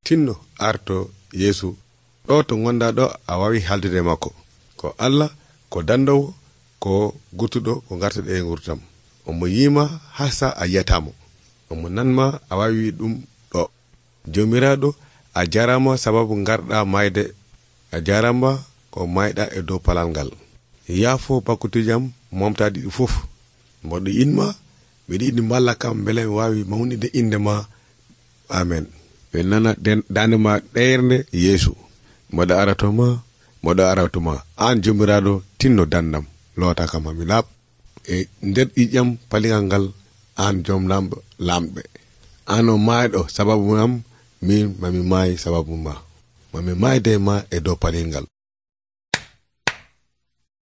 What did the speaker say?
tinno arto Yeesu ɗo to gonda ɗo a wawi haldude makko ko Allah ko dandowo ko guttuɗo ko gartuɗe e gurdam. Omo yima hasa a yiyatamo, omo nanma a wawi ɗum ɗo. Jomiraɗo a jarama sababu garɗa mayde, a jarama ko mayɗa e dow palal ngal. Yaafo bakkutijam momtadi ɗi fof, mboɗo inma mbiɗa yiɗi mballa kam beele mi wawi mawnide inde ma. Amen. ɓe nana dande ma ɗeernde Yeesu. Mboɗo aratoma an jomiraɗo tinno dandam, loota kam hami laaɓ e nder ƴiƴam paligal ngal. An joom lamɓe, an o mayɗo sababu am, min mami maayi sababu ma, mami maayde ma e dow palil ngal.